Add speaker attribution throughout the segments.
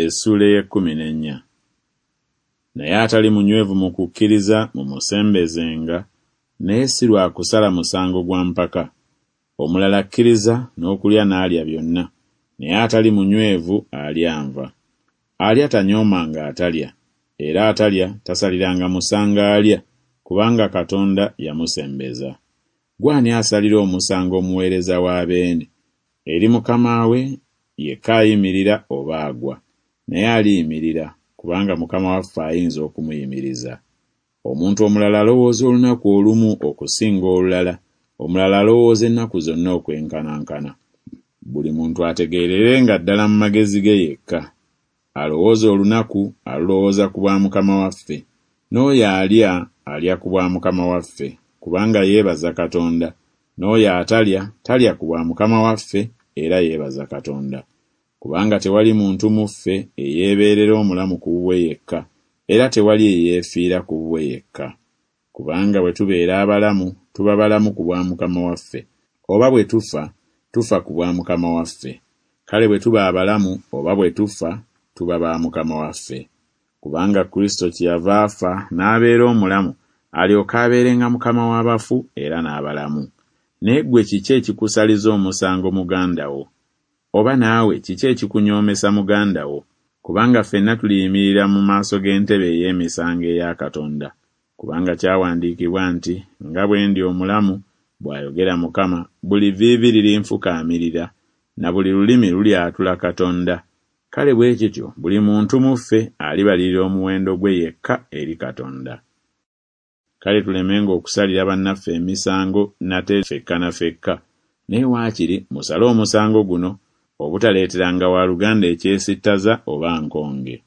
Speaker 1: Essuula ey'ekkumi n'ennya. Naye atali munywevu mu kukkiriza mumusembezenga, naye si lwa kusala musango gwa mpaka. Omulala akkiriza n'okulya n'alya byonna, naye atali munywevu alya nva. Alya tanyoomanga atalya, era atalya tasaliranga musango alya, kubanga Katonda yamusembeza. Ggwe ani asalira omusango omuweereza wa beene? Eri mukama we yekka ayimirira oba agwa, naye aliyimirira, kubanga Mukama waffe ayinza okumuyimiriza. Omuntu omulala alowooza olunaku olumu okusinga olulala, omulala alowooza ennaku zonna okwenkanankana. Buli muntu ategeererenga ddala mu magezi ge yekka. Alowooza olunaku, alulowooza ku bwa Mukama waffe, n'oyo alya, alya ku bwa Mukama waffe, kubanga yeebaza Katonda, n'oyo atalya, talya ku bwa Mukama waffe, era yeebaza Katonda. Kubanga tewali muntu mu ffe eyeebeerera omulamu ku bubwe yekka, era tewali eyeefiira ku bubwe yekka. Kubanga bwe tubeera abalamu, tuba balamu ku bwa Mukama waffe, oba bwe tufa, tufa ku bwa Mukama waffe. Kale bwe tuba abalamu oba bwe tufa, tuba ba Mukama waffe. Kubanga Kristo kyeyava afa n'abeera omulamu, alyoke abeerenga Mukama w'abafu era n'abalamu. Naye ggwe kiki ekikusaliza omusango muganda wo? Oba naawe kiki ekikunyoomesa muganda wo? Kubanga ffenna tuliyimirira mu maaso g'entebe ey'emisango eya Katonda. Kubanga kyawandiikibwa nti, Nga bwe ndi omulamu, bw'ayogera Mukama, buli vviivi lirinfukaamirira, na buli lulimi lulyatula Katonda. Kale bwe kityo buli muntu mu ffe alibalirira omuwendo gwe yekka eri Katonda. Kale tulemenga okusalira bannaffe emisango nate fekka na fekka, naye waakiri musale omusango guno, obutaleeteranga wa luganda ekyesittaza oba nkonge.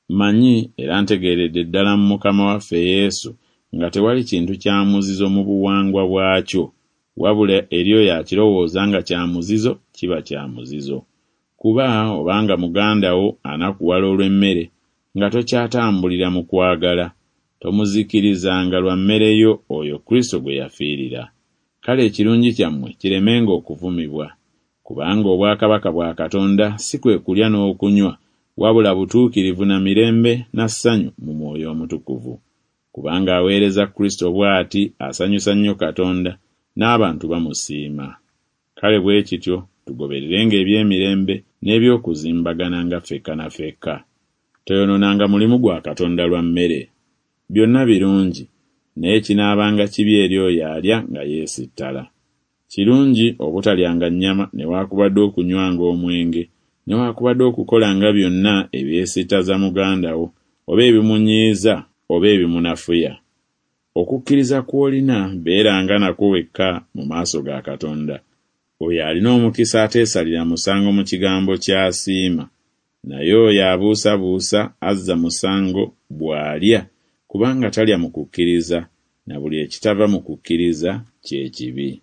Speaker 1: Mmanyi era ntegeeredde ddala mu Mukama waffe Yesu nga tewali kintu kya muzizo mu buwangwa bwakyo, wabula eri oyo akirowooza nga kya muzizo kiba kya muzizo. Kuba obanga muganda wo anakuwala olw'emmere, nga tokyatambulira mu kwagala. Tomuzikirizanga lwa mmere yo oyo Kristo gwe yafiirira. Kale ekirungi kyammwe kiremenga okuvumibwa. Kubanga obwakabaka bwa Katonda si kwe kulya n'okunywa, wabula butuukirivu na mirembe na ssanyu mu Mwoyo Omutukuvu. Kubanga aweereza Kristo bw'ati asanyusa nnyo Katonda, n'abantu bamusiima. Kale bwe kityo tugobererenga eby'emirembe n'eby'okuzimbagananga ffekka na ffekka. Toyonoonanga mulimu gwa Katonda lwa mmere. Byonna birungi, naye kinaabanga kibi eri oyo alya nga yeesittala. Kirungi obutalyanga nnyama newaakubadde okunywanga omwenge, newaakubadde okukolanga byonna ebyesittaza muganda wo, oba ebimunyiiza oba ebimunafuya. Okukkiriza kw'olina beeranga nakwo wekka mu maaso ga Katonda. Oyo alina omukisa ateesalira musango mu kigambo ky'asiima. Naye oyo abuusabuusa azza musango bw'alya, kubanga talya mu kukkiriza, na buli ekitava mu kukkiriza kye kibi.